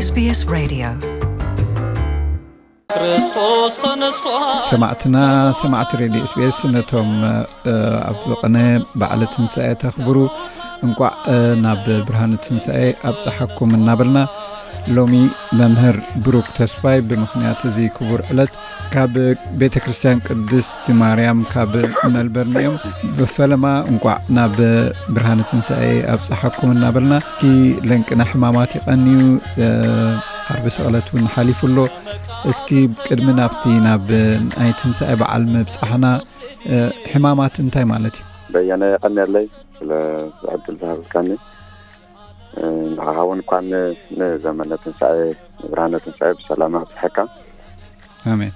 SBS Radio. ክርስቶስ ተነስቷል። ሰማዕትና፣ ሰማዕቲ ሬድዮ ኤስቢኤስ፣ ነቶም ኣብዚ ቅነ በዓለ ትንሳኤ ተኽብሩ፣ እንቋዕ ናብ ብርሃነ ትንሳኤ ኣብፀሓኩም እናበልና፣ ሎሚ መምህር ብሩክ ተስፋይ ብምኽንያት እዚ ክቡር ዕለት ካብ ቤተ ክርስቲያን ቅድስቲ ማርያም ካብ መልበርን እዮም። ብፈለማ እንቋዕ ናብ ብርሃነ ትንሳኤ ኣብፀሓኩም እናበልና፣ እቲ ለንቅና ሕማማት ይቐንዩ፣ ዓርቢ ስቕለት እውን ሓሊፉ ኣሎ። እስኪ ቅድሚ ናብቲ ናብ ናይ ትንሳኤ በዓል ምብጻሕና፣ ሕማማት እንታይ ማለት እዩ? በየነ፣ የቐንየለይ ስለ ዕድል ዝሃብካኒ። ንዓኻ እውን እንኳን ንዘመነ ትንሳኤ፣ ንብርሃነ ትንሳኤ ብሰላም ኣብፅሐካ። ኣሜን።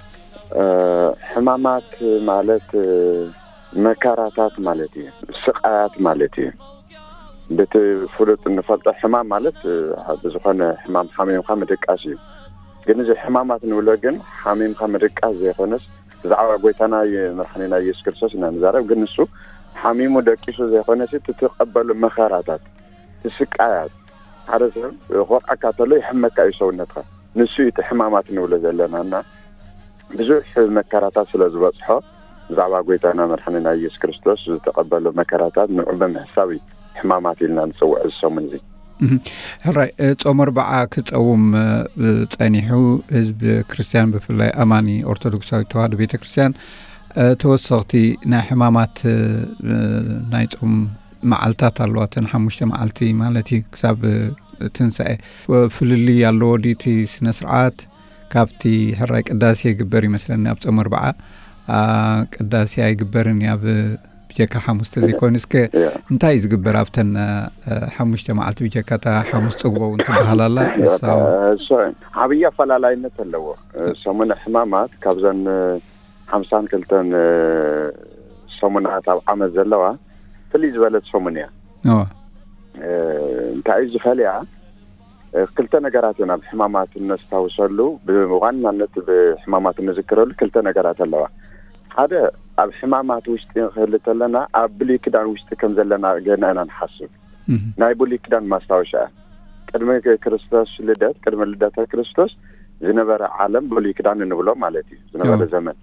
ሕማማት ማለት መከራታት ማለት እዩ፣ ስቃያት ማለት እዩ። በቲ ፍሉጥ እንፈልጦ ሕማም ማለት ብዝኾነ ሕማም ሓሚምካ ምድቃስ እዩ። ግን እዚ ሕማማት ንብሎ ግን ሓሚምካ ምድቃስ ዘይኮነስ፣ ብዛዕባ ጎይታና መድሓኒና ኢየሱስ ክርስቶስ ኢና ንዛረብ። ግን ንሱ ሓሚሙ ደቂሱ ዘይኮነስ፣ እቲ ትቐበሉ መኸራታት፣ እቲ ስቃያት፣ ሓደ ሰብ ክወቕዐካ ተሎ ይሕመካ እዩ ሰውነትካ። ንሱ እዩ እቲ ሕማማት ንብሎ ዘለና እና ብዙሕ መከራታት ስለ ዝበፅሖ፣ ብዛዕባ ጎይታና መድሓኒና ኢየሱስ ክርስቶስ ዝተቐበሎ መከራታት ንዑ ብምሕሳብ እዩ ሕማማት ኢልና ንፅውዕ እዚ ሰሙን እዚ። ሕራይ፣ ጾም ኣርብዓ ክጸውም ጸኒሑ፣ ህዝቢ ክርስትያን፣ ብፍላይ ኣማኒ ኦርቶዶክሳዊት ተዋህዶ ቤተ ክርስትያን፣ ተወሰኽቲ ናይ ሕማማት ናይ ጾም መዓልታት ኣለዋ። እተን ሓሙሽተ መዓልቲ ማለት እዩ፣ ክሳብ ትንሳኤ። ፍልልይ ኣለዎ ድዩ እቲ ስነ ስርዓት? ካብቲ ሕራይ ቅዳሴ ይግበር ይመስለኒ ኣብ ጾም ኣርብዓ። ቅዳሴ ኣይግበርን እዩ ኣብ ብጀካ ሓሙስ ተዘይኮይኑ። እስከ እንታይ እዩ ዝግበር ኣብተን ሓሙሽተ መዓልቲ? ብጀካ እታ ሓሙስ ጽግቦ እውን ትበሃል ኣላ። ዓብዪ ኣፈላላይነት ኣለዎ። ሰሙነ ሕማማት ካብዘን ሓምሳን ክልተን ሰሙናት ኣብ ዓመት ዘለዋ ፍልይ ዝበለት ሰሙን እያ። እንታይ እዩ ዝፈልያ? ክልተ ነገራት እዮም ኣብ ሕማማት እነስታውሰሉ። ብዋናነት ብሕማማት እንዝክረሉ ክልተ ነገራት ኣለዋ። ሓደ፣ ኣብ ሕማማት ውሽጢ ንክህሊ ተለና ኣብ ብሉይ ኪዳን ውሽጢ ከም ዘለና ገና ኢና ንሓስብ። ናይ ብሉይ ኪዳን ማስታወሻ እያ። ቅድሚ ክርስቶስ ልደት፣ ቅድሚ ልደተ ክርስቶስ ዝነበረ ዓለም ብሉይ ኪዳን እንብሎ ማለት እዩ፣ ዝነበረ ዘመን።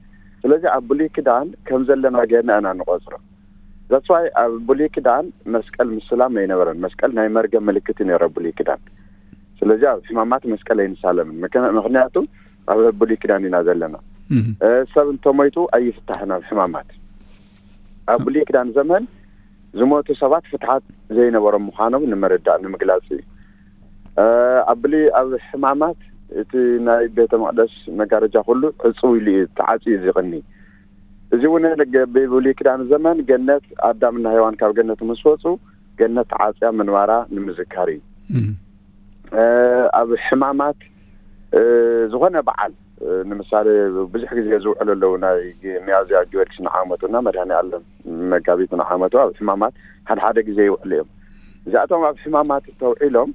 ስለዚ ኣብ ብሉይ ኪዳን ከም ዘለና ገና ኢና ንቆፅሮ። That's why ኣብ ብሉይ ኪዳን መስቀል ምስላም ኣይነበረን። መስቀል ናይ መርገም ምልክት እዩ ነይረ ብሉይ ኪዳን። ስለዚ ኣብ ሕማማት መስቀል ኣይንሳለምን። ምክንያቱ ኣብ ብሉይ ኪዳን ኢና ዘለና። ሰብ እንተሞይቱ ኣይፍታሕን ኣብ ሕማማት። ኣብ ብሉይ ኪዳን ዘመን ዝሞቱ ሰባት ፍትሓት ዘይነበሮም ምዃኖም ንምርዳእ፣ ንምግላፅ እዩ። ኣብ ብሉይ፣ ኣብ ሕማማት እቲ ናይ ቤተ መቕደስ መጋረጃ ኩሉ ዕፅው ኢሉ እዩ፣ ተዓፅዩ እዩ ዝቕኒ። እዚ እውን ብብሉይ ኪዳን ዘመን ገነት፣ ኣዳምና ሔዋን ካብ ገነት ምስ ወፁ ገነት ተዓፅያ ምንባራ ንምዝካር እዩ። ኣብ ሕማማት ዝኾነ በዓል፣ ንምሳሌ ብዙሕ ግዜ ዝውዕሉ ኣለዉ፣ ናይ ሚያዝያ ጊዮርጊስ ንዓመቱ እና መድሃኔ ኣለም መጋቢት ንዓመቱ ኣብ ሕማማት ሓደ ሓደ ግዜ ይውዕሉ እዮም። እዚኣቶም ኣብ ሕማማት ተውዒሎም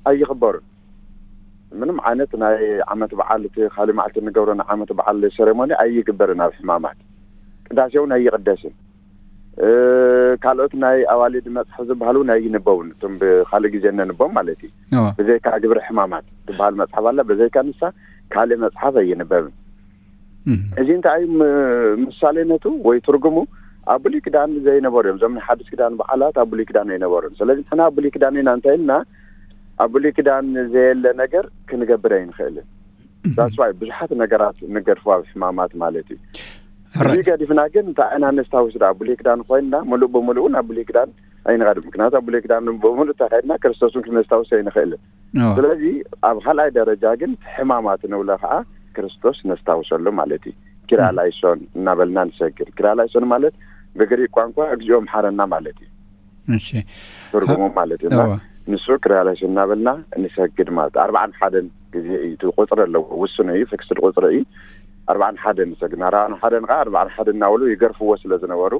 ኣይኽበሩን። ምንም ዓይነት ናይ ዓመት በዓል፣ እቲ ካልእ መዓልቲ እንገብሮ ናይ ዓመት በዓል ሴሬሞኒ ኣይግበርን ኣብ ሕማማት። ቅዳሴ እውን ኣይቕደስን። ካልኦት ናይ ኣዋልድ መፅሓፍ ዝበሃሉ እውን ኣይንበቡን። እቶም ብካልእ ግዜ እነንቦም ማለት እዩ። ብዘይካ ግብረ ሕማማት ትበሃል መፅሓፍ ኣላ፣ በዘይካ ንሳ ካልእ መፅሓፍ ኣይንበብን። እዚ እንታይ እዩ ምሳሌነቱ ወይ ትርጉሙ? ኣብ ብሉይ ኪዳን ዘይነበሩ እዮም። እዞም ናይ ሓድሽ ኪዳን በዓላት ኣብ ብሉይ ኪዳን ኣይነበሩን። ስለዚ ንሕና ኣብ ብሉይ ኪዳን ኢና እንታይ ኢልና ኣብ ብሉይ ኪዳን ዘየለ ነገር ክንገብር ኣይንኽእልን። That's why ብዙሓት ነገራት ንገድፎ ኣብ ሕማማት ማለት እዩ። እዚ ገዲፍና ግን እንታይ ኢና ነስታውስ? ዳ ብሉይ ኪዳን ኮይንና ምሉእ ብምሉእ ናብ ብሉይ ኪዳን ኣይንኸድም። ምክንያቱ ኣብ ብሉይ ኪዳን ብምሉእ ተኸድና ክርስቶስን ክነስታውስ ኣይንኽእልን። ስለዚ ኣብ ካልኣይ ደረጃ ግን ሕማማት ንብሎ ከዓ ክርስቶስ ነስታውሰሉ ማለት እዩ። ኪርያላይሶን እናበልና ንሰግድ። ኪርያላይሶን ማለት ብግሪክ ቋንቋ እግዚኦ መሓረና ማለት እዩ። እሺ። ትርጉሙ ማለት እዩ። እና ንሱ ኪርያላይሶን እናበልና ንሰግድ ማለት ኣርባዓን ሓደን ግዜ እዩ። እቲ ቁፅሪ ኣለዎ፣ ውሱን እዩ፣ ፊክስድ ቁፅሪ እዩ። ኣርባዓን ሓደን ንሰግድ። ኣርባዓን ሓደን ከዓ ኣርባዓን ሓደን እናበሉ ይገርፍዎ ስለ ዝነበሩ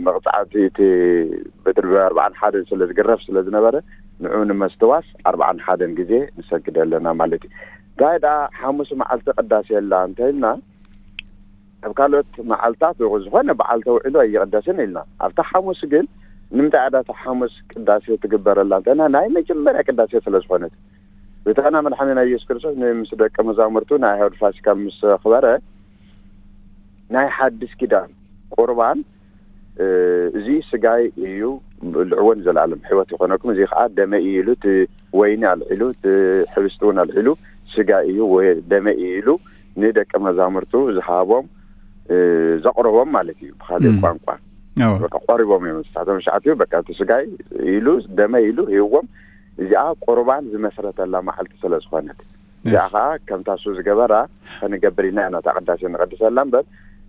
መቕፃዕቲ እቲ ብድርቢ ኣርባዓን ሓደን ስለ ዝግረፍ ስለ ዝነበረ ንዑ ንመስተዋስ ኣርባዓን ሓደን ግዜ ንሰግድ ኣለና ማለት እዩ። እንታይ ደኣ ሓሙስ መዓልቲ ቅዳሴ ኣላ እንተኢልና ኣብ ካልኦት መዓልታት ዝኾነ በዓል ተውዒሉ ኣይቕደስን ኢልና ኣብታ ሓሙስ ግን ንምንታይ ኣዳታ ሓሙስ ቅዳሴ ትግበረላ እንተና ናይ መጀመርያ ቅዳሴ ስለ ዝኾነት፣ ብታና መድሓኒና ኢየሱስ ክርስቶስ ምስ ደቀ መዛሙርቱ ናይ ኣይሁድ ፋሲካ ምስ ኣኽበረ፣ ናይ ሓድሽ ኪዳን ቁርባን፣ እዚ ስጋይ እዩ፣ ብልዕዎ ንዘለኣለም ሕይወት ይኾነኩም፣ እዚ ከዓ ደመይ እዩ ኢሉ፣ እቲ ወይኒ ኣልዒሉ፣ እቲ ሕብስቲ እውን ኣልዒሉ፣ ስጋይ እዩ ወይ ደመይ እዩ ኢሉ ንደቀ መዛሙርቱ ዝሃቦም፣ ዘቕረቦም ማለት እዩ። ብካሊእ ቋንቋ በቃ ቆሪቦም እዮም። ንሳቶም ሸዓቲኡ በቃ እቲ ስጋይ ኢሉ ደመይ ኢሉ ሂብዎም። እዚኣ ቁርባን ዝመስረተላ መዓልቲ ስለ ዝኾነት፣ እዚኣ ከዓ ከምታ እሱ ዝገበራ ከንገብር ኢና፣ ናታ ቅዳሴ ንቐድሰላ እምበር፣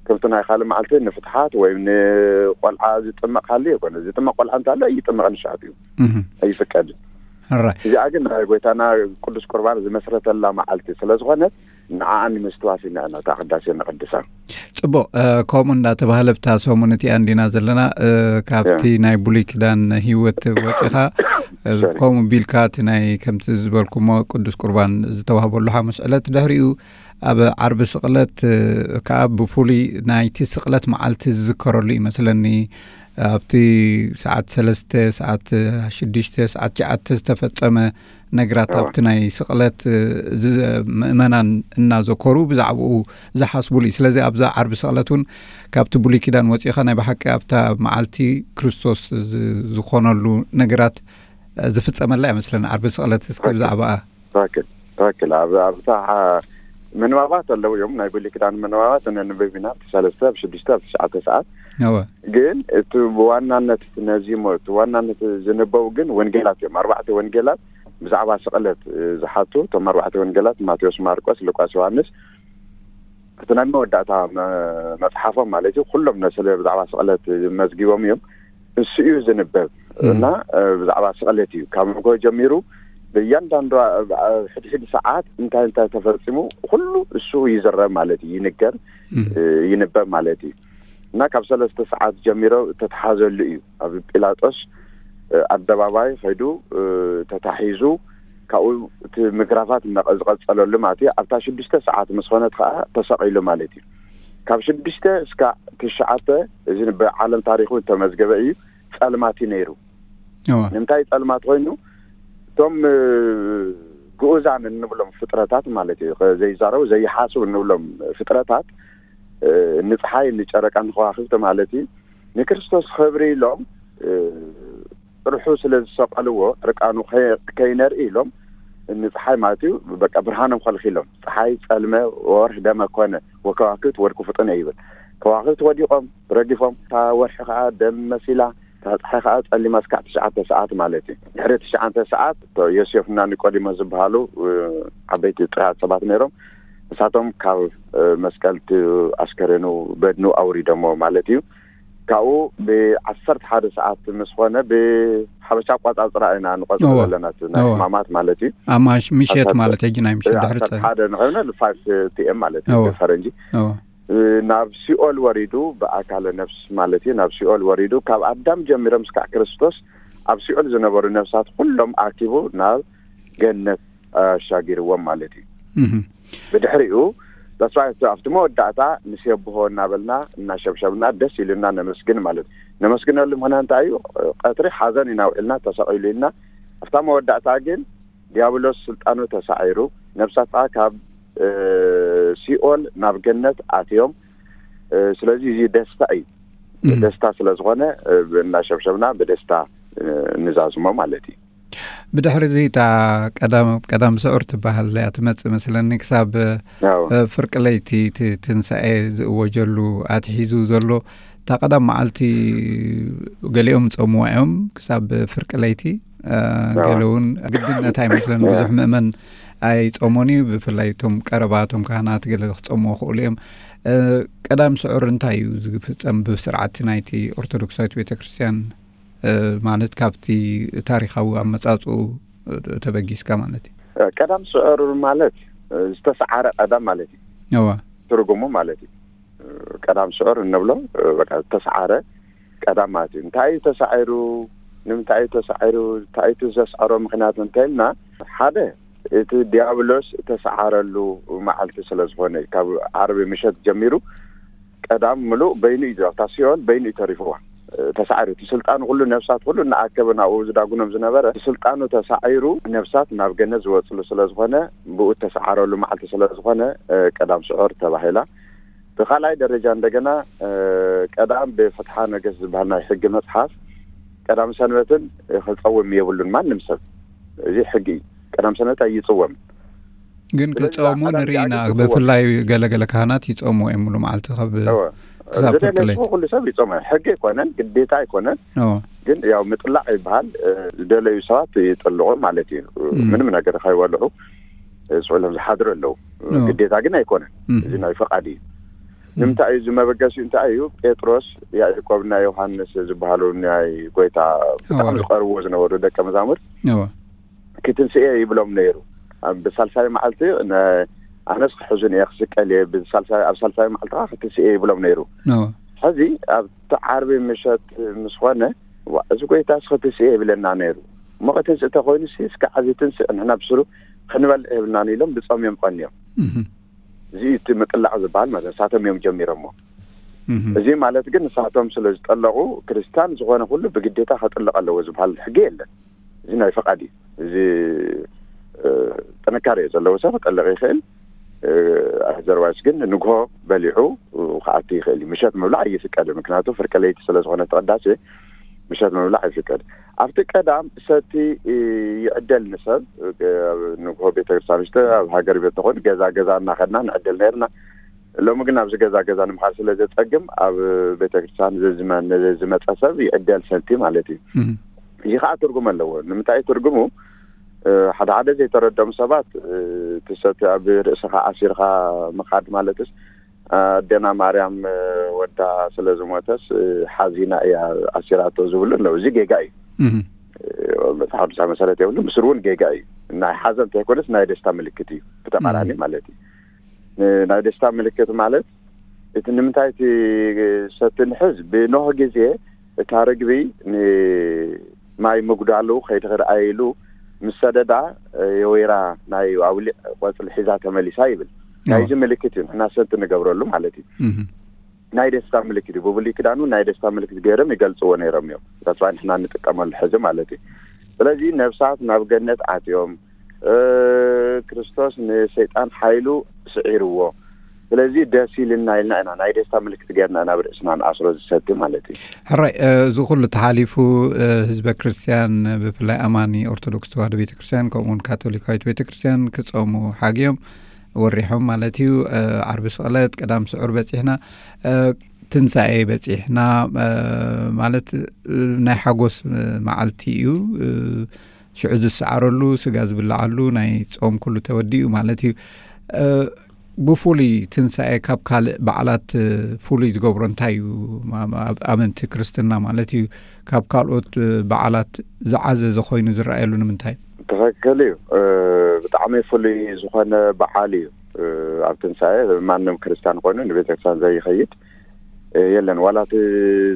ከምቲ ናይ ካልእ መዓልቲ ንፍትሓት ወይም ንቆልዓ ዝጥመቕ ሃልዩ ኣይኮነ። ዝጥመቕ ቆልዓ እንተሎ ይጥመቕ፣ ንሸዓቲኡ ኣይፍቀድን። እዚኣ ግን ናይ ጎይታና ቅዱስ ቁርባን ዝመስረተላ መዓልቲ ስለ ዝኾነት፣ ንዓኣ ንምስትዋስ ኢና፣ ናታ ቅዳሴ ንቐድሳ። ጽቡቕ። ከምኡ እንዳተባህለ ብታ ሰሙን እቲኣ እንዲና ዘለና። ካብቲ ናይ ብሉይ ኪዳን ህይወት ወፂኻ፣ ከምኡ ቢልካ እቲ ናይ ከምቲ ዝበልኩሞ ቅዱስ ቁርባን ዝተዋህበሉ ሓሙስ ዕለት፣ ድሕሪኡ ኣብ ዓርቢ ስቕለት ከዓ ብፍሉይ ናይቲ ስቕለት መዓልቲ ዝዝከረሉ ይመስለኒ። ኣብቲ ሰዓት ሰለስተ፣ ሰዓት ሽዱሽተ፣ ሰዓት ትሽዓተ ዝተፈጸመ ነገራት ኣብቲ ናይ ስቕለት ምእመናን እናዘከሩ ብዛዕባኡ ዝሓስቡሉ እዩ። ስለዚ ኣብዛ ዓርቢ ስቕለት እውን ካብቲ ብሉይ ኪዳን ወፂእኻ ናይ ብሓቂ ኣብታ መዓልቲ ክርስቶስ ዝኾነሉ ነገራት ዝፍጸመላ ይመስለኒ። ዓርቢ ስቕለት እስኪ ብዛዕባኣ። ትክክል፣ ትክክል። ኣብ ኣብታ ምንባባት ኣለዉ እዮም፣ ናይ ብሉይ ኪዳን ምንባባት እነንብብ ኢና፣ ኣብቲ ሰለስተ፣ ኣብ ሽዱሽተ፣ ኣብ ትሽዓተ ሰዓት። ግን እቲ ብዋናነት ነዚ ሞ እቲ ዋናነት ዝንበቡ ግን ወንጌላት እዮም። ኣርባዕተ ወንጌላት ብዛዕባ ስቕለት ዝሓቱ፣ እቶም ኣርባዕተ ወንጌላት ማቴዎስ፣ ማርቆስ፣ ሉቃስ፣ ዮሃንስ፣ እቲ ናይ መወዳእታ መፅሓፎም ማለት እዩ። ኩሎም ነስለ ብዛዕባ ስቕለት መዝጊቦም እዮም። እሱ እዩ ዝንበብ እና ብዛዕባ ስቕለት እዩ ካብ ንጎ ጀሚሩ ብእያንዳንዱ ሕድሕድ ሰዓት እንታይ እንታይ ተፈፂሙ ኩሉ እሱ ይዝረብ ማለት እዩ፣ ይንገር፣ ይንበብ ማለት እዩ። እና ካብ ሰለስተ ሰዓት ጀሚሮ ተተሓዘሉ እዩ። ኣብ ጲላጦስ ኣደባባይ ከይዱ ተታሒዙ፣ ካብኡ እቲ ምግራፋት ዝቐፀለሉ ማለት እዩ። ኣብታ ሽዱሽተ ሰዓት ምስ ኾነት ከዓ ተሰቒሉ ማለት እዩ። ካብ ሽዱሽተ እስካ ትሽዓተ፣ እዚ ብዓለም ታሪኹ ዝተመዝገበ እዩ፣ ፀልማት እዩ ነይሩ። ንምንታይ ፀልማት ኮይኑ? እቶም ግኡዛን እንብሎም ፍጥረታት ማለት እዩ፣ ዘይዛረቡ ዘይሓስቡ እንብሎም ፍጥረታት፣ ንፀሓይ፣ ንጨረቃ፣ ንከዋክብቲ ማለት እዩ፣ ንክርስቶስ ክብሪ ኢሎም ጥርሑ ስለ ዝሰቀልዎ፣ ዕርቃኑ ከይነርኢ ኢሎም፣ ንፀሓይ ማለት እዩ በቃ ብርሃኖም ከልኪሎም፣ ፀሓይ ፀልመ፣ ወርሒ ደመ ኮነ፣ ወከዋክብት ወድቁ ፍጥነ ይብል። ከዋክብት ወዲቆም ረጊፎም፣ እታ ወርሒ ከዓ ደም መሲላ፣ እታ ፀሓይ ከዓ ፀሊማ እስካዕ ትሽዓተ ሰዓት ማለት እዩ። ድሕሪ ትሽዓተ ሰዓት ዮሴፍና ኒቆዲሞስ ዝበሃሉ ዓበይቲ ጥራት ሰባት ነይሮም። ንሳቶም ካብ መስቀል ኣስከሬኑ፣ በድኑ ኣውሪዶሞ ማለት እዩ። ካብኡ ብዓሰርተ ሓደ ሰዓት ምስ ኾነ፣ ብሓበሻ ኣቋፃፅራ ኢና ንቆፅሮ ዘለና ናይ ሕማማት ማለት እዩ። ኣማሽ ምሸት ማለት ሕጂ ናይ ምሸት ድሕሪ ዓሰርተ ሓደ ንኸይነ ፋይቭ ፒ ኤም ማለት እዩ ብፈረንጂ። ናብ ሲኦል ወሪዱ፣ ብኣካለ ነፍስ ማለት እዩ፣ ናብ ሲኦል ወሪዱ፣ ካብ ኣዳም ጀሚሮም እስካዕ ክርስቶስ ኣብ ሲኦል ዝነበሩ ነፍሳት ኩሎም ኣኪቡ ናብ ገነት ኣሻጊርዎም ማለት እዩ። ብድሕሪኡ ተስፋ ኣብቲ መወዳእታ ንሴብሖ እናበልና እናሸብሸብና ደስ ኢሉና ነመስግን ማለት እዩ። ነመስግነሉ ምኽንያት እንታይ እዩ? ቀትሪ ሓዘን ኢና ውዒልና፣ ተሰቒሉ ኢልና፣ ኣብታ መወዳእታ ግን ዲያብሎስ ስልጣኑ ተሳዒሩ፣ ነብሳት ከዓ ካብ ሲኦል ናብ ገነት ኣትዮም። ስለዚ እዚ ደስታ እዩ። ደስታ ስለ ዝኾነ እናሸብሸብና ብደስታ ንዛዝሞ ማለት እዩ። ብድሕሪ እዚ እታ ቀዳም ቀዳም ስዑር ትበሃል እያ ትመጽእ መስለኒ፣ ክሳብ ፍርቂ ለይቲ እቲ ትንሳኤ ዝእወጀሉ ኣትሒዙ ዘሎ እታ ቀዳም መዓልቲ ገሊኦም ጸምዋ እዮም ክሳብ ፍርቂ ለይቲ። ገለ እውን ግድነት ኣይመስለን። ብዙሕ ምእመን ኣይጸሞን እዩ። ብፍላይ እቶም ቀረባ እቶም ካህናት ገለ ክጸምዎ ክእሉ እዮም። ቀዳም ስዑር እንታይ እዩ ዝፍጸም ብስርዓት ናይቲ ኦርቶዶክሳዊት ቤተክርስትያን? ማለት ካብቲ ታሪኻዊ ኣመጻጽኡ ተበጊስካ ማለት እዩ። ቀዳም ስዑር ማለት ዝተሰዓረ ቀዳም ማለት እዩ። እዋ። ትርጉሙ ማለት እዩ። ቀዳም ስዑር እንብሎ በቃ ዝተሰዓረ ቀዳም ማለት እዩ። እንታይ እዩ ተሳዒሩ? ንምንታይ እዩ ተሳዒሩ? እንታይ እቲ ዘስዐሮ ምኽንያት እንተኢልና፣ ሓደ እቲ ዲያብሎስ እተሰዓረሉ መዓልቲ ስለ ዝኾነ፣ ካብ ዓርቢ ምሸት ጀሚሩ ቀዳም ምሉእ በይኑ እዩ፣ ኣብታ ሲኦል በይኑ እዩ ተሪፍዋ። ተሳዒሩ፣ እቲ ስልጣኑ ኩሉ፣ ነፍሳት ኩሉ እናኣከበ ናብኡ ዝዳጉኖም ዝነበረ፣ እቲ ስልጣኑ ተሳዒሩ፣ ነፍሳት ናብ ገነት ዝወፅሉ ስለ ዝኾነ፣ ብኡ ተሰዓረሉ መዓልቲ ስለ ዝኾነ፣ ቀዳም ስዑር ተባሂላ። ብኻልኣይ ደረጃ እንደገና ቀዳም ብፍትሓ ነገስት ዝበሃል ናይ ሕጊ መፅሓፍ ቀዳም ሰንበትን ክፀውም የብሉን ማንም ሰብ። እዚ ሕጊ እዩ። ቀዳም ሰንበት ኣይፅወምን። ግን ክፀሙ ንርኢና። ብፍላይ ገለገለ ካህናት ይፀሙ እዮም ሙሉ መዓልቲ ካብ ክሳብ ፍርቂ ለይቲ። ኩሉ ሰብ ይፀሙ። ሕጊ ኣይኮነን፣ ግዴታ ኣይኮነን። ግን ያው ምጥላዕ ይበሃል። ዝደለዩ ሰባት ይጥልቑ ማለት እዩ። ምንም ነገር ከይበልዑ ስዑሎም ዝሓድሩ ኣለዉ። ግዴታ ግን ኣይኮነን። እዚ ናይ ፈቓድ እዩ። ንምንታይ እዩ እዚ መበገሲኡ? እንታይ እዩ? ጴጥሮስ፣ ያዕቆብና ዮሃንስ ዝበሃሉ ናይ ጎይታ ብጣዕሚ ዝቐርብዎ ዝነበሩ ደቀ መዛሙርት ክትንስኤ ይብሎም ነይሩ። ብሳልሳይ መዓልቲ ኣነስ ክሕዙን እየ ክስቀል እየ፣ ኣብ ሳልሳይ መዓልቲ ከዓ ክትንስኤ ይብሎም ነይሩ። ሕዚ ኣብቲ ዓርቢ ምሸት ምስ ኾነ፣ እዚ ጎይታስ ክትንስኤ ይብለና ነይሩ እሞ፣ ክትንስእ ተኮይኑ ሲ እስከ ዓዚ ትንስእ፣ ንሕና ብስሩ ክንበልዕ የብልናን ኢሎም ብጾም እዮም ቀንዮም። እዚ እቲ ምጥላቕ ዝበሃል ማለት ንሳቶም እዮም ጀሚሮሞ። እዚ ማለት ግን ንሳቶም ስለ ዝጠለቑ ክርስቲያን ዝኾነ ኩሉ ብግዴታ ከጥልቕ ኣለዎ ዝበሃል ሕጊ የለን። እዚ ናይ ፈቓድ እዩ። እዚ ጥንካሬ ዘለዎ ሰብ ክጠልቕ ይኽእል። ኣዘርዋይስ ግን ንግሆ በሊዑ ክኣቲ ይኽእል እዩ። ምሸት ምብላዕ ኣይፍቀድን። ምክንያቱ ፍርቂ ለይቲ ስለ ዝኾነ ተቐዳሴ ምሸት ምብላዕ ኣይፍቀድ። ኣብቲ ቀዳም ሰቲ ይዕደል ንሰብ። ንግሆ ቤተክርስትያን ውሽጢ ኣብ ሃገር ቤት ተኾይኑ ገዛ ገዛ እናኸድና ንዕደል ነርና። ሎሚ ግን ኣብዚ ገዛ ገዛ ንምኻድ ስለ ዘጸግም ኣብ ቤተክርስትያን ዝመ- ዝመጸ ሰብ ይዕደል ሰቲ ማለት እዩ። እዚ ከዓ ትርጉም ኣለዎ። ንምንታይ ትርጉሙ? ሓደ ሓደ ዘይተረዶም ሰባት እቲ ሰቲ ኣብ ርእስኻ ኣሲርካ ምኻድ ማለትስ ኣዴና ማርያም ወዳ ስለ ዝሞተስ ሓዚና እያ ኣሲራቶ ዝብሉ ኣለዉ። እዚ ጌጋ እዩ። መፅሓፍ ቅዱሳዊ መሰረት የብሉ። ምስሩ እውን ጌጋ እዩ። ናይ ሓዘን እንተይኮነስ ናይ ደስታ ምልክት እዩ። ብተቃራኒ ማለት እዩ። ናይ ደስታ ምልክት ማለት እቲ ንምንታይ እቲ ሰቲ ንሕዝ ብኖህ ግዜ እታ ርግቢ ንማይ ምጉዳሉ ከይትኽርኣይ ኢሉ ምስ ሰደዳ የወይራ ናይ ኣውሊዕ ቆፅሊ ሒዛ ተመሊሳ ይብል። ናይዚ ምልክት እዩ ንሕና ሰቲ ንገብረሉ ማለት እዩ። ናይ ደስታ ምልክት እዩ። ብብሉይ ኪዳኑ ናይ ደስታ ምልክት ገይሮም ይገልፅዎ ነይሮም እዮም። ተስፋ ንሕና እንጥቀመሉ ሕዚ ማለት እዩ። ስለዚ ነብሳት ናብ ገነት ኣትዮም ክርስቶስ ንሰይጣን ሓይሉ ስዒርዎ። ስለዚ ደስ ኢልና ኢልና ኢና ናይ ደስታ ምልክት ገይርና ኢና ብርእስና ንኣስሮ ዝሰቲ ማለት እዩ። ሕራይ፣ እዚ ኩሉ ተሓሊፉ ህዝበ ክርስትያን ብፍላይ ኣማኒ ኦርቶዶክስ ተዋህዶ ቤተክርስትያን ከምኡውን ካቶሊካዊት ቤተክርስትያን ክፀሙ ሓግዮም ወሪሖም ማለት እዩ። ዓርቢ ስቕለት ቀዳም ስዑር በፂሕና፣ ትንሳኤ በፂሕና ማለት ናይ ሓጎስ መዓልቲ እዩ። ሽዑ ዝሰዓረሉ፣ ስጋ ዝብልዓሉ ናይ ጾም ኩሉ ተወዲኡ ማለት እዩ። ብፍሉይ ትንሳኤ ካብ ካልእ በዓላት ፍሉይ ዝገብሮ እንታይ እዩ? ኣመንቲ ክርስትና ማለት እዩ፣ ካብ ካልኦት በዓላት ዝዓዘዘ ኮይኑ ዝረኣየሉ ንምንታይ? ትኽክል እዩ። ብጣዕሚ ፍሉይ ዝኾነ በዓል እዩ። ኣብ ትንሳኤ ማንም ክርስቲያን ኮይኑ ንቤተክርስትያን ዘይኸይድ የለን። ዋላ እቲ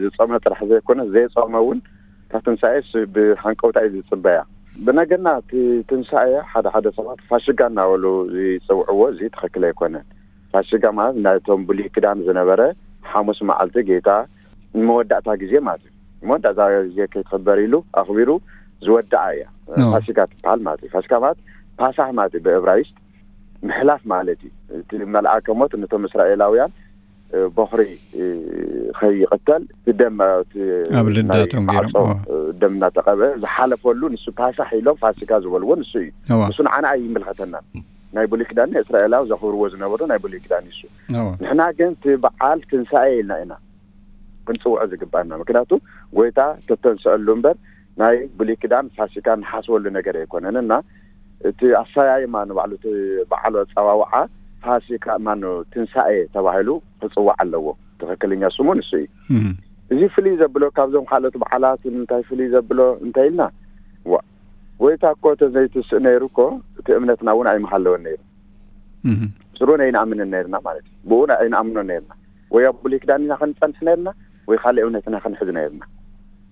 ዝጾመ ጥራሕ ዘይኮነ ዘይጾመ እውን እታ ትንሳኤ ብሃንቀውታ እዩ ዝጽበያ። ብነገና እቲ ትንሳኤ ሓደ ሓደ ሰባት ፋሽጋ እናበሉ ዝጽውዕዎ፣ እዚ ትኽክል ኣይኮነን። ፋሽጋ ማለት ናይቶም ብሉይ ክዳን ዝነበረ ሓሙስ መዓልቲ ጌታ ንመወዳእታ ግዜ ማለት እዩ። መወዳእታ ግዜ ከይትኽበር ኢሉ ኣኽቢሩ ዝወድኣ እያ ፋሲካ ትበሃል ማለት እዩ። ፋሲካ ማለት ፓሳህ ማለት እዩ ብእብራይስጥ ምሕላፍ ማለት እዩ። እቲ መልኣከ ሞት ነቶም እስራኤላውያን በኹሪ ከይቕተል ደም ኣብ ልዳቶም ገይሮም ደም እናተቐበ ዝሓለፈሉ ንሱ ፓሳህ ኢሎም ፋሲካ ዝበልዎ ንሱ እዩ። ንሱ ንዓና ኣይምልኸተናን። ናይ ብሉይ ኪዳን እስራኤላዊ ዘኽብርዎ ዝነበሩ ናይ ብሉይ ኪዳን እዩ እሱ። ንሕና ግን እቲ በዓል ትንሳኤ ኢልና ኢና ክንፅውዖ ዝግባና። ምክንያቱ ጎይታ ተተንስአሉ እምበር ናይ ብሉይ ኪዳን ፋሲካ ንሓስበሉ ነገር ኣይኮነን እና እቲ ኣሰያይማ ንባዕሉ እቲ በዓል ኣፀዋውዓ ፋሲካ ማኑ ትንሳኤ ተባሂሉ ክፅዋዕ ኣለዎ። ትኽክለኛ ስሙ ንሱ እዩ። እዚ ፍልይ ዘብሎ ካብዞም ካልኦት በዓላት እንታይ ፍልይ ዘብሎ እንታይ ኢልና፣ ዋ ጎይታ እኮ ተዘይትስእ ነይሩ እኮ እቲ እምነትና እውን ኣይምሃለወን ነይሩ። ስሩን ኣይንኣምንን ነርና ማለት እዩ። ብኡ ኣይንኣምኖን ነርና። ወይ ኣብ ብሉይ ኪዳን ኢና ክንጸንሕ ነርና ወይ ካልእ እምነት ኢና ክንሕዝ ነርና።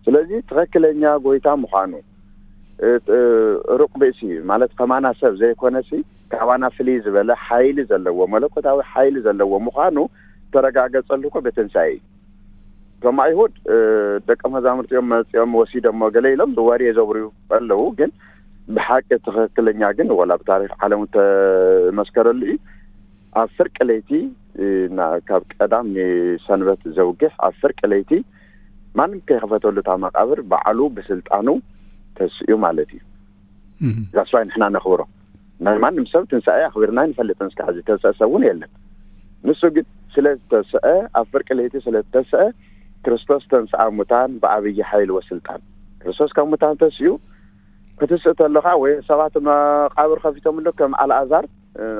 ስለዚ ትኽክለኛ ጎይታ ምዃኑ ሩቕ ብእሲ ማለት ከማና ሰብ ዘይኮነሲ ካባና ፍልይ ዝበለ ሓይሊ ዘለዎ መለኮታዊ ሓይሊ ዘለዎ ምዃኑ ተረጋገጸሉ እኮ ብትንሳኤ እዩ። እቶም ኣይሁድ ደቀ መዛሙርቲኦም መፂኦም ወሲዶሞ ገለ ኢሎም ወሬ ዘውርዩ ኣለዉ። ግን ብሓቂ ትኽክለኛ ግን ወላ ብታሪክ ዓለም ተመስከረሉ እዩ። ኣብ ፍርቂ ለይቲ ካብ ቀዳም ንሰንበት ዘውግሕ ኣብ ፍርቂ ለይቲ ማንም ከይኸፈተሉ እታ መቃብር ባዕሉ ብስልጣኑ ተስኡ ማለት እዩ። ዛስዋይ ንሕና ነኽብሮ ናይ ማንም ሰብ ትንሳኤ ኣኽቢርና ንፈልጥን እስካዕ ዝተሰእ ሰብ እውን የለን። ንሱ ግን ስለ ዝተሰአ ኣብ ፍርቂ ለይቲ ስለ ዝተሰአ ክርስቶስ ተንስኣ ሙታን ብኣብይ ሓይል ወስልጣን ክርስቶስ ካብ ሙታን ተስኡ ክትስእ ተለኻ ወይ ሰባት መቃብር ከፊቶምሉ ከም ኣልኣዛር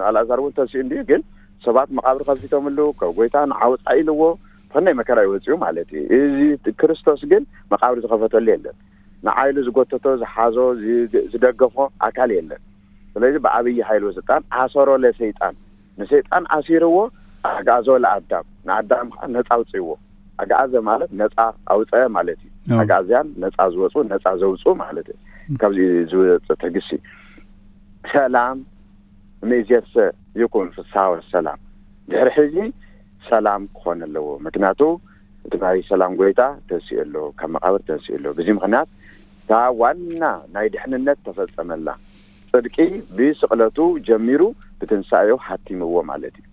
ኣልኣዛር እውን ተስኡ እንዲዩ ግን ሰባት መቃብር ከፊቶምሉ ካብ ጎይታ ንዓውፃ ኢልዎ ብኸናይ መከራ ይወፅኡ ማለት እዩ። እዚ ክርስቶስ ግን መቃብር ዝኸፈተሉ የለን። ንዓይሉ ዝጎተቶ ዝሓዞ ዝደገፎ ኣካል የለን። ስለዚ ብኣብይ ሓይል ወስልጣን ኣሰሮ ለሰይጣን ንሰይጣን ኣሲርዎ ኣግኣዞ ለኣዳም ንኣዳም ከዓ ነፃ ኣውፅእዎ። ኣግኣዘ ማለት ነፃ ኣውፀ ማለት እዩ። ኣግኣዝያን ነፃ ዝወፁ ነፃ ዘውፁ ማለት እዩ። ካብዚ ዝወፅ ትዕግስቲ ሰላም ምእዜሰ ይኩን ፍስሃ ወሰላም። ድሕሪ ሕዚ ሰላም ክኾን ኣለዎ። ምክንያቱ እቲ ናይ ሰላም ጎይታ ተንስኡ ኣሎ፣ ካብ መቃብር ተንስኡ ኣሎ። በዚ ምክንያት እታ ዋና ናይ ድሕንነት ተፈጸመላ። ጽድቂ ብስቕለቱ ጀሚሩ ብትንሳኤኡ ሃቲምዎ ማለት እዩ።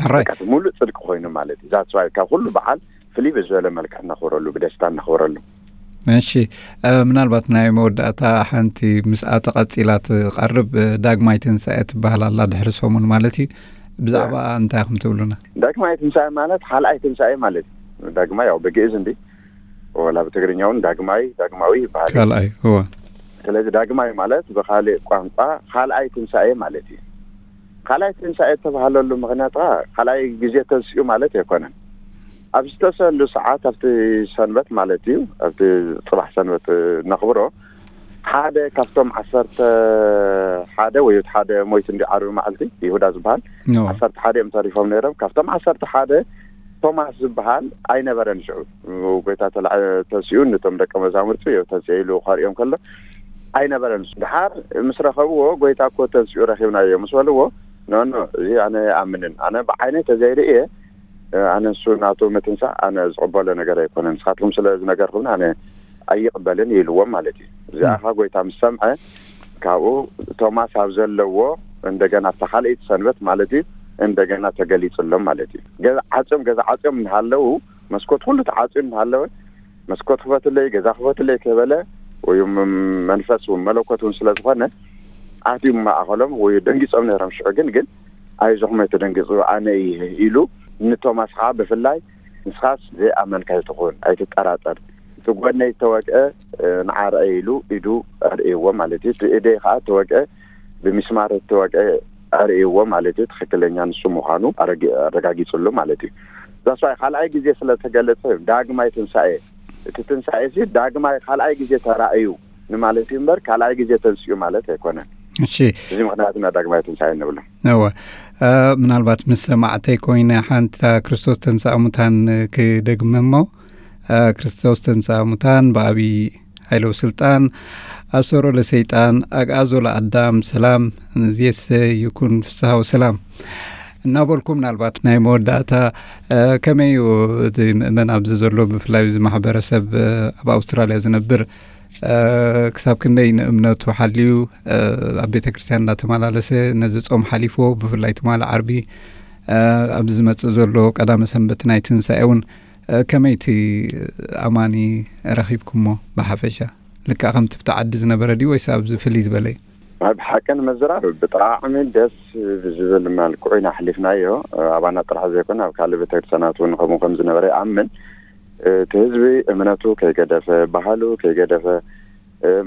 ሕራይ በቃ እቲ ሙሉእ ጽድቂ ኮይኑ ማለት እዩ። ዛትስ ዋይ ካብ ኩሉ በዓል ፍልይ ብዝበለ መልክዕ እናኽብረሉ ብደስታ እናኽብረሉ። እሺ፣ ምናልባት ናይ መወዳእታ ሓንቲ ምስኣ ተቐጺላ ትቐርብ ዳግማይ ትንሳኤ ትበሃል ኣላ ድሕሪ ሰሙን ማለት እዩ። ብዛዕባ እንታይ ኢኹም ትብሉና? ዳግማይ ትንሳኤ ማለት ካልኣይ ትንሳኤ ማለት እዩ። ዳግማይ ያው ብግእዝ እንዲ ወላ ብትግርኛ እውን ዳግማይ ዳግማዊ ይበሃል እዩ። ካልኣይ እወ። ስለዚ ዳግማይ ማለት ብካሊእ ቋንቋ ካልኣይ ትንሳኤ ማለት እዩ። ካልኣይ ትንሳኤ እተባህለሉ ምክንያት ከዓ ካልኣይ ግዜ ተንስኡ ማለት ኣይኮነን። ኣብ ዝተሰሉ ሰዓት ኣብቲ ሰንበት ማለት እዩ ኣብቲ ፅባሕ ሰንበት ነኽብሮ ሓደ ካብቶም ዓሰርተ ሓደ ወይ ሓደ ሞይት እንዲ ዓርቢ መዓልቲ ይሁዳ ዝበሃል ዓሰርተ ሓደ እዮም ተሪፎም ነይሮም። ካብቶም ዓሰርተ ሓደ ቶማስ ዝበሃል ኣይነበረን። ሽዑ ጎይታ ተንስኡ ነቶም ደቀ መዛሙርቱ ተንስኡ ኢሉ ከርእዮም ከሎ ኣይነበረን። ድሓር ምስ ረኸብዎ ጎይታ እኮ ተንስኡ ረኺብናዮ ምስ በልዎ ኖኖ እዚ ኣነ ኣምንን ኣነ ብዓይነ ተዘይርእየ ኣነ ንሱ ናቱ ምትንሳእ ኣነ ዝቕበሎ ነገር ኣይኮነን። ንስኻትኩም ስለ ዝነገርኩም ኣነ ኣይቕበልን ኢልዎም ማለት እዩ። እዚኣኻ ጎይታ ምስ ሰምዐ ካብኡ ቶማስ ኣብ ዘለዎ እንደገና ኣብታ ካልኣይቲ ሰንበት ማለት እዩ እንደገና ተገሊፅሎም ማለት እዩ። ገዛ ዓፅዮም ገዛ ዓፅዮም እናሃለዉ መስኮት ኩሉ ተዓፅዩ እናሃለወ መስኮት ክፈትለይ ገዛ ክፈትለይ ከበለ ወይ መንፈስ እውን መለኮት እውን ስለ ዝኾነ ኣትዩ ማእኸሎም ወይ ደንጊፆም ነይሮም። ሽዑ ግን ግን ኣይዞኹም ኣይተደንግፁ ኣነ እየ ኢሉ ንቶማስ ከዓ ብፍላይ ንስኻስ ዘይኣመንካ ኣይትኹን ኣይትጠራጠር እቲ ጎነይ ዝተወቅአ ንዓርአይ ኢሉ ኢዱ ኣርእይዎ ማለት እዩ። እቲ እደይ ከዓ ተወቅአ ብሚስማር ተወቅአ ኣርእይዎ ማለት እዩ። ትክክለኛ ንሱ ምዃኑ ኣረጋጊፅሉ ማለት እዩ። ዛስዋይ ካልኣይ ግዜ ስለተገለፀ ዳግማይ ትንሳኤ እቲ ትንሳኤ ሲ ዳግማይ ካልኣይ ግዜ ተራእዩ ንማለት እዩ እምበር ካልኣይ ግዜ ተንስኡ ማለት ኣይኮነን። እሺ፣ እዚ ምክንያት ኢና ዳግማይ ትንሳኤ እንብሎ። እወ፣ ምናልባት ምስ ሰማዕተይ ኮይነ ሓንቲ ክርስቶስ ተንሳእ ሙታን ክደግመ እሞ ክርስቶስ ተንሳእ ሙታን ብኣብይ ሓይሎ ስልጣን ኣሰሮ ለሰይጣን ኣግኣዞ ለኣዳም ሰላም እምይእዜሰ ይኩን ፍስሃ ወሰላም እናበልኩ ምናልባት ናይ መወዳእታ ከመይ እዩ እቲ ምእመን ኣብዚ ዘሎ ብፍላይ እዚ ማሕበረሰብ ኣብ ኣውስትራልያ ዝነብር ክሳብ ክንደይ ንእምነቱ ሓልዩ ኣብ ቤተ ክርስትያን እናተመላለሰ ነዚ ጾም ሓሊፍዎ ብፍላይ ትማሊ ዓርቢ ኣብዚ ዝመጽእ ዘሎ ቀዳመ ሰንበት ናይ ትንሳኤ እውን ከመይቲ ኣማኒ ረኺብኩሞ ብሓፈሻ? ልክዕ ከምቲ ብቲ ዓዲ ዝነበረ ድዩ ወይስ ኣብዚ ፍልይ ዝበለ እዩ? ኣብ ሓቂ ንምዝራብ ብጣዕሚ ደስ ብዝብል መልክዑ ኢና ኣሕሊፍናዮ። ኣባና ጥራሕ ዘይኮነ ኣብ ካልእ ቤተክርስትያናት እውን ከምኡ ከም ዝነበረ ይኣምን። እቲ ህዝቢ እምነቱ ከይገደፈ፣ ባህሉ ከይገደፈ፣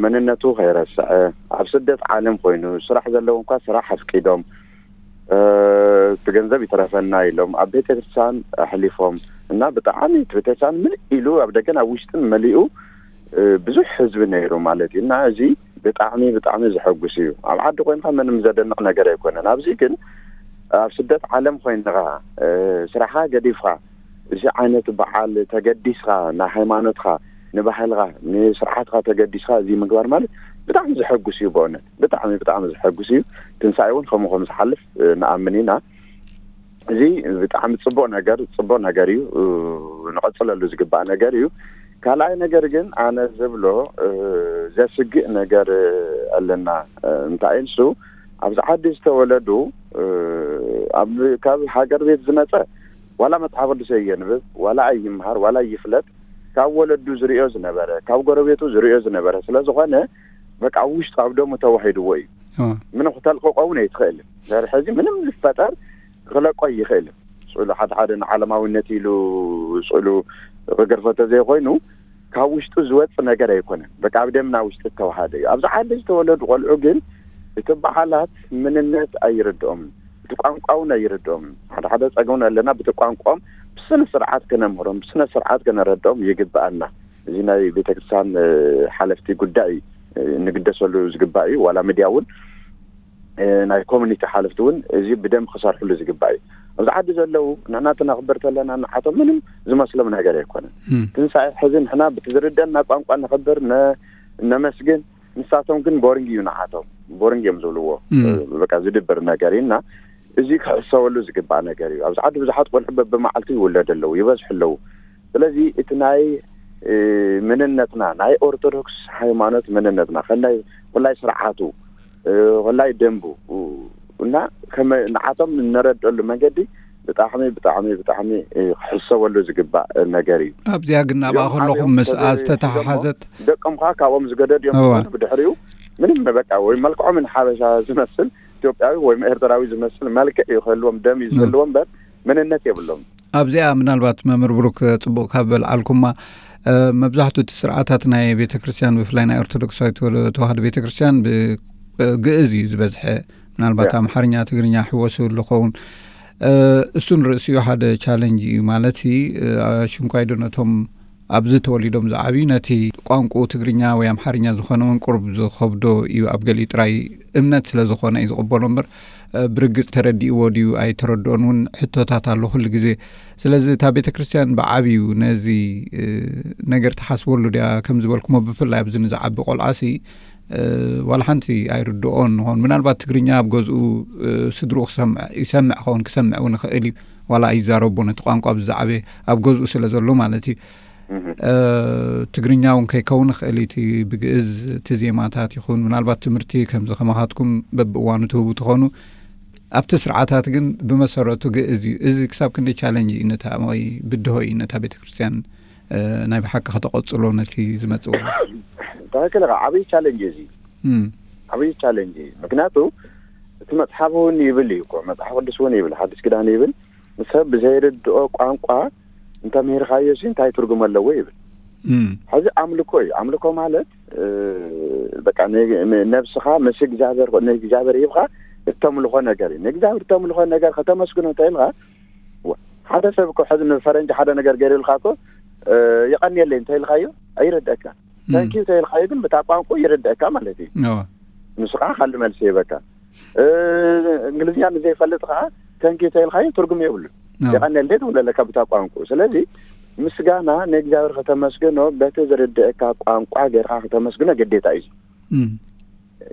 መንነቱ ከይረስዐ፣ ኣብ ስደት ዓለም ኮይኑ ስራሕ ዘለዎም እኳ ስራሕ ኣፍቂዶም፣ እቲ ገንዘብ ይትረፈና ኢሎም ኣብ ቤተክርስትያን ኣሕሊፎም እና ብጣዕሚ እቲ ቤተክርስትያን ምልእ ኢሉ ኣብ ደገን ኣብ ውሽጥን መሊኡ ብዙሕ ህዝቢ ነይሩ ማለት እዩ። እና እዚ ብጣዕሚ ብጣዕሚ ዘሐጉስ እዩ። ኣብ ዓዲ ኮይንካ ምንም ዘደንቕ ነገር ኣይኮነን። ኣብዚ ግን ኣብ ስደት ዓለም ኮይንካ ስራሕካ ገዲፍካ እዚ ዓይነት በዓል ተገዲስካ ንሃይማኖትካ ንባህልካ ንስርዓትካ ተገዲስካ እዚ ምግባር ማለት ብጣዕሚ ዘሐጉስ እዩ። ብእውነት ብጣዕሚ ብጣዕሚ ዘሐጉስ እዩ። ትንሳኤ እውን ከምኡ ከም ዝሓልፍ ንኣምን ኢና። እዚ ብጣዕሚ ጽቡቕ ነገር፣ ጽቡቕ ነገር እዩ። እ፣ ንቐጽለሉ ዝግባእ ነገር እዩ። ካልኣይ ነገር ግን ኣነ ዝብሎ፣ እ፣ ዘስግእ ነገር ኣለና። እ፣ እንታይ ንሱ ኣብዚ ዓዲ ዝተወለዱ፣ እ፣ ኣብ፣ ካብ ሃገር ቤት ዝመጸ ዋላ መጽሓፍ ቅዱስ የንብብ፣ ዋላ ኣይምሃር፣ ዋላ ይፍለጥ፣ ካብ ወለዱ ዝርእዮ ዝነበረ፣ ካብ ጎረቤቱ ዝርእዮ ዝነበረ ስለ ዝኾነ፣ በቃ ኣብ ውሽጡ ኣብ ደሙ ተዋሂድዎ እዩ። እዋ። ምንም ክተልቅቆ እውን ኣይትኽእልን። ድሕሪ ሕዚ ምንም ዝፈጠር ክለቆ ይኽእልን። ስእሉ ሓደ ሓደ ንዓለማዊነት ኢሉ ስእሉ ክገርፎ ተዘይኮይኑ፣ ካብ ውሽጡ ዝወጽእ ነገር ኣይኮነን። በቃ ኣብ ደምና ውሽጢ ዝተዋሃደ እዩ። ኣብዚ ዓዲ ዝተወለዱ ቆልዑ ግን እቲ በዓላት ምንነት ኣይርድኦምን፣ እቲ ቋንቋ እውን ኣይርድኦምን። ሓደ ሓደ ጸገም ኣለና፣ ብቲ ቋንቋኦም ብስነ ስርዓት ክነምህሮም፣ ብስነ ስርዓት ክነረድኦም ይግብኣና። እዚ ናይ ቤተክርስትያን፣ እ፣ ሓለፍቲ ጉዳይ፣ እ፣ ንግደሰሉ ዝግባእ እዩ። ዋላ ሚድያ እውን፣ እ፣ ናይ ኮሚኒቲ ሓለፍቲ እውን እዚ ብደንብ ክሰርሕሉ ዝግባእ እዩ። ኣብዚ ዓዲ ዘለዉ ንሕና እቲ ነኽብር ተለና ንዓቶም ምንም ዝመስሎም ነገር ኣይኮነን። እም። ትንሳኤ ሕዚ ንሕና ብቲ ዝርደና ቋንቋ ነኽብር፣ ነ-፣ ነመስግን፣ ንሳቶም ግን ቦሪንግ እዩ ንዓቶም። ቦሪንግ እዮም ዝብልዎ። እም። እ፣ በቃ ዝድብር ነገር እዩ እና እዚ ክሕሰበሉ ዝግባእ ነገር እዩ። ኣብዚ ዓዲ ብዙሓት ቆልዑ በብመዓልቱ ይውለዱ ኣለዉ፣ ይበዝሑ ኣለዉ። ስለዚ እቲ ናይ፣ እ፣ ምንነትና፣ ናይ ኦርቶዶክስ ሃይማኖት ምንነትና፣ ከላይ፣ ከላይ ስርዓቱ፣ እ፣ ከላይ ደንቡ፣ እ፣ እና ከመ-፣ ንዓቶም እነረድአሉ መንገዲ ብጣዕሚ፣ ብጣዕሚ፣ ብጣዕሚ፣ እ፣ ክሕሰበሉ ዝግባእ ነገር እዩ። ኣብዚኣ ግን ናብኣ እዮም ከለኹም ዓብዮም ምስኣ ተዘ-፣ ዝተተሓሓዘት ደቆም ኸዓ ካብኦም ዝገደዱ እዮም እዋ። ዝኾኑ። ብድሕሪኡ ምንም በቃ ወይ መልክዖም ንሓበሻ ዝመስል ኢትዮጵያዊ ወይ ኤርትራዊ ዝመስል መልክዕ እዩ ክህልዎም፣ ደም እዩ እም። ዝህልዎም እምበር መንነት የብሎም። ኣብዚኣ ምናልባት መምህር ብሩክ ጽቡቕ ካብ በልዓልኩማ፣ እ፣ መብዛሕትኡ እቲ ስርዓታት ናይ ቤተ ክርስቲያን ብፍላይ ናይ ኦርቶዶክሳዊት ተዋህዶ ቤተ ክርስቲያን ብግእዝ እዩ ዝበዝሐ። ምናልባት ያ። ኣምሓርኛ፣ ትግርኛ ሕወስ ይብሉ ኸውን። እ፣ እሱ ንርእሲኡ ሓደ ቻለንጅ እዩ ማለት እዩ። እ፣ ሽንኳይ ዶ ነቶም ኣብዚ ተወሊዶም ዝዓብዩ ነቲ ቋንቋ ትግርኛ ወይ ኣምሓርኛ ዝኾነ እውን ቁሩብ ዝኸብዶ እዩ። ኣብ ገሊኡ ጥራይ እምነት ስለ ዝኾነ እዩ ዝቕበሎ እምበር፣ እ፣ ብርግጽ ተረዲእዎ ድዩ ኣይተረድኦን እውን ሕቶታት ኣሎ ኩሉ ግዜ። ስለዚ እታ ቤተ ክርስቲያን ብዓብዩ ነዚ፣ እ፣ ነገር ትሓስበሉ ድያ? ከም ዝበልኩሞ ብፍላይ ኣብዚ ንዝዓቢ ቆልዓሲ፣ እ፣ ዋላ ሓንቲ ኣይርድኦን ንኾን። ምናልባት ትግርኛ ኣብ ገዝኡ፣ እ፣ ስድርኡ ክሰምዕ፣ ይሰምዕ ኸውን፣ ክሰምዕ እውን ይኽእል እዩ። ዋላ ኣይዛረቦ ነቲ ቋንቋ ብዛዕበ ኣብ ገዝኡ ስለ ዘሎ ማለት እዩ። እህ። እ፣ ትግርኛ እውን ከይከውን ይኽእል እዩ። እቲ ብግእዝ እቲ ዜማታት ይኹን ምናልባት ትምህርቲ ከምዚ ከማኻትኩም በብእዋኑ ትህቡ ትኾኑ። ኣብቲ ስርዓታት ግን ብመሰረቱ ግእዝ እዩ። እዚ ክሳብ ክንደይ ቻለንጅ እዩ ነታ ወይ ብድሆ እዩ ነታ ቤተ ክርስቲያን፣ እ፣ ናይ ብሓቂ ከተቐጽሎ ነቲ ዝመጽእ ወለዶ? ትኽክል ኢኻ። ዓብዪ ቻለንጅ እዩ እዚ። እም። ዓብዪ ቻለንጅ እዩ። ምክንያቱ እቲ መጽሓፍ እውን ይብል እዩ እኮ፣ መጽሓፍ ቅዱስ እውን ይብል፣ ሓዲስ ኪዳን ይብል፣ ንሰብ ብዘይርድኦ ቋንቋ እንተምሂርካዮ ሲ እንታይ ትርጉም ኣለዎ ይብል። እም። ሕዚ ኣምልኮ እዩ። ኣምልኮ ማለት፣ እ፣ በቃ ን-፣ ን-፣ ነብስኻ ምስ እግዚኣብሔር፣ ንእግዚኣብሔር ሂብካ እተምልኾ ነገር እዩ። ንእግዚኣብሔር እተምልኾ ነገር ከተመስግኖ እንተኢልካ፣ ወ-፣ ሓደ ሰብ እኮ ሕዚ ንፈረንጂ ሓደ ነገር ገይሩልካ እኮ፣ እ፣ የቐንየለይ እንተኢልካዮ ኣይርድአካ። እም። ታንኪዩ እንተኢልካዮ ግን ብታ ቋንቋ ይርድአካ ማለት እዩ። እዋ። ንሱ ከዓ ካልእ መልሲ ይህበካ። እ፣ እንግሊዝኛ ንዘይፈልጥ ከዓ ታንኪዩ እንተኢልካዮ ትርጉም የብሉን። እዋ። የቐንየለይ ትብሎ ኣለካ ብታ ቋንቋ። ስለዚ ምስጋና ንእግዚኣብሔር ከተመስግኖ በቲ ዝርድአካ ቋንቋ ጌርካ ከተመስግኖ ግዴታ እዩ። እም።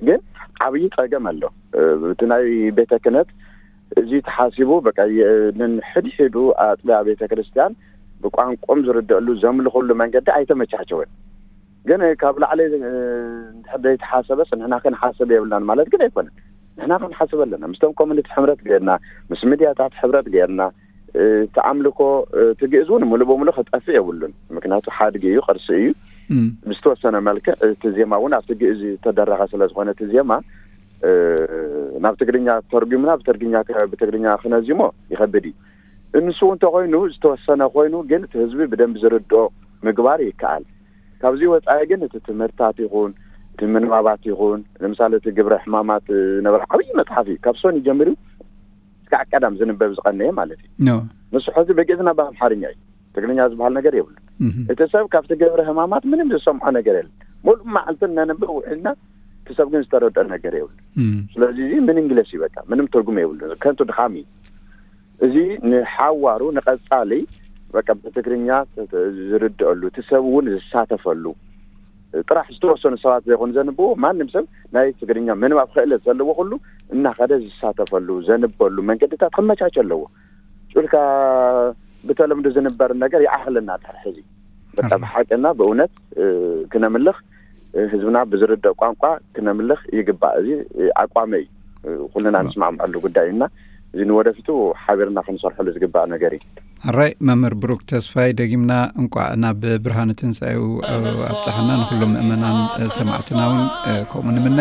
ግን ዓብዪ ጸገም ኣሎ። እ፣ እቲ ናይ ቤተ ክህነት እዚ ተሓሲቡ በቃ የ-፣ ነንሕድሕዱ ኣጥቢያ ቤተ ክርስቲያን ብቋንቋኦም ዝርድአሉ ዘምልኹሉ መንገዲ ኣይተመቻቸወን። ግን ካብ ላዕሊ፣ እ፣ እንድሕር ዘይተሓሰበስ ንሕና ክንሓስብ የብልናን ማለት ግን ኣይኮነን። ንሕና ክንሓስብ ኣለና። ምስቶም ኮሚኒቲ ሕብረት ገይርና፣ ምስ ሚድያታት ሕብረት ገይርና፣ እ፣ እቲ ኣምልኮ፣ እ፣ እቲ ግእዝ እውን ሙሉእ በሙሉእ ክጠፍእ የብሉን። ምክንያቱ ሓድጊ እዩ፣ ቅርሲ እዩ። እም። ብዝተወሰነ መልክዕ እቲ ዜማ እውን ኣብቲ ግእዝ ዝተደረኸ ስለ ዝኾነ እቲ ዜማ፣ እ፣ ናብ ትግርኛ ተርጉምና ብትግርኛ ከ-፣ ብትግርኛ ክነዚሞ ይኸብድ እዩ። እንሱ እውን እንተኾይኑ ዝተወሰነ ኮይኑ ግን እቲ ህዝቢ ብደንብ ዝርድኦ ምግባር ይከኣል። ካብዚ ወፃኢ ግን እቲ ትምህርታት ይኹን እቲ ምንባባት ይኹን ንምሳሌ እቲ ግብረ ሕማማት፣ እ፣ ዝነበረ ዓብዪ መፅሓፍ እዩ። ካብ ሶኒ ጀሚሩ እስካዕ ቀዳም ዝንበብ ዝቐነየ ማለት እዩ። ኖ። ንሱ ሕዚ ብግእዝና ብኣምሓርኛ እዩ። ትግርኛ ዝበሃል ነገር የብሉ። እህ። እቲ ሰብ ካብቲ ግብረ ሕማማት ምንም ዝሰምዖ ነገር የለን። ሙሉእ መዓልቲ እናነበበ ውዒልና እቲ ሰብ ግን ዝተረድኦ ነገር የብሉ። እም። ስለዚ እዚ ምን እንግለስ እዩ በቃ ምንም ትርጉም የብሉ። ከንቱ ድኻም እዩ። እዚ ንሓዋሩ ንቐጻሊ በቃ ብትግርኛ ተ-፣ ተ-፣ ዝርድአሉ እቲ ሰብ እውን ዝሳተፈሉ ጥራሕ ዝተወሰኑ ሰባት ዘይኮኑ ዘንብቡ ማንም ሰብ ናይ ትግርኛ ምንባብ ክእለት ዘለዎ ኩሉ እናኸደ ዝሳተፈሉ ዘንበሉ መንገድታት ክመቻቸ ኣለዎ። ኢልካ ብተለምዶ ዝንበር ነገር ይኣኽለና ድሕር ሕዚ። በቃ ብሓቅና ብእውነት ክነምልኽ፣ ህዝብና ብዝርደእ ቋንቋ ክነምልኽ ይግባእ። እዚ ኣቋመይ ኩልና ንስማዕምዐሉ ጉዳይ እና እዚ ንወደፊቱ ሓቢርና ክንሰርሐሉ ዝግባእ ነገር እዩ። ኣራይ መምህር ብሩክ ተስፋይ፣ ደጊምና እንቋዕ ናብ ብርሃነ ትንሳኤው ኣብፀሓና። ንኩሎም ምእመናን ሰማዕትና እውን ከምኡ ንምነ።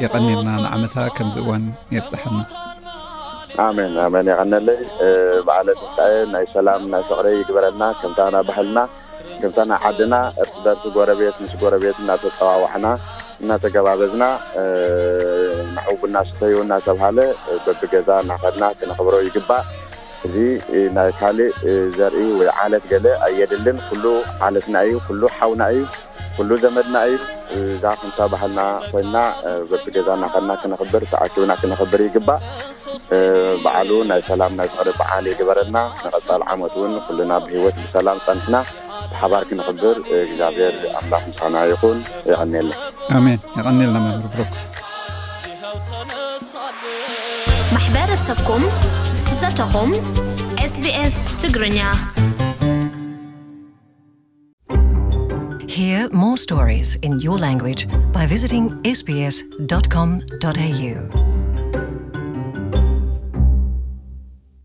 የቐኒልና ንዓመታ ከምዚ እዋን የብፀሓና። ኣሜን ኣሜን። የቐነለይ። በዓለ ትንሳኤ ናይ ሰላም ናይ ፍቕሪ ይግበረልና። ከምታ ና ባህልና ከምታ ና ዓድና እርስ በርስ ጎረቤት ምስ ጎረቤት እናተፀዋዋዕና እናተገባበዝና ንዑ ቡና ስተዩ እናተብሃለ በብገዛ እናኸድና ክነኽብሮ ይግባእ። እዚ ናይ ካልእ ዘርኢ ወይ ዓለት ገለ ኣየድልን። ኩሉ ዓለትና እዩ፣ ኩሉ ሓውና እዩ፣ ኩሉ ዘመድና እዩ። እዛ ከምታ ባህልና ኮይና በብገዛ እናኸድና ክነኽብር ተኣኪብና ክነኽብር ይግባእ። በዓሉ ናይ ሰላም ናይ ፍቕሪ በዓል ይግበረልና። ንቐፃል ዓመት እውን ኩልና ብህይወት ብሰላም ፀንሕና ብሓባር ክነኽብር እግዚኣብሔር ኣምላኽ ምሳና ይኹን። የቐንየልና። ኣሜን። የቐንየልና መምህር ብሩክ። ማሕበረሰብኩም ዘተኹም ኤስቢኤስ ትግርኛ። Hear more stories in your language by visiting sbs.com.au.